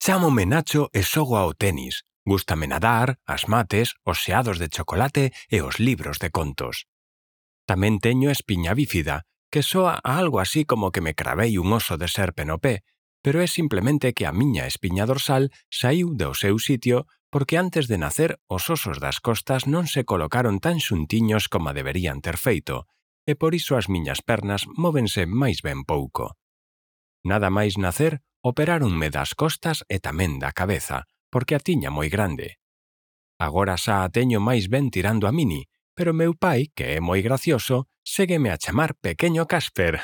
Chámome Nacho e xogo ao tenis. Gústame nadar, as mates, os xeados de chocolate e os libros de contos. Tamén teño espiña bífida, que soa a algo así como que me cravei un oso de serpe no pé, pero é simplemente que a miña espiña dorsal saíu do seu sitio porque antes de nacer os osos das costas non se colocaron tan xuntiños como deberían ter feito, e por iso as miñas pernas móvense máis ben pouco. Nada máis nacer, operáronme das costas e tamén da cabeza, porque a tiña moi grande. Agora xa a teño máis ben tirando a mini, pero meu pai, que é moi gracioso, ségueme a chamar Pequeño Casper.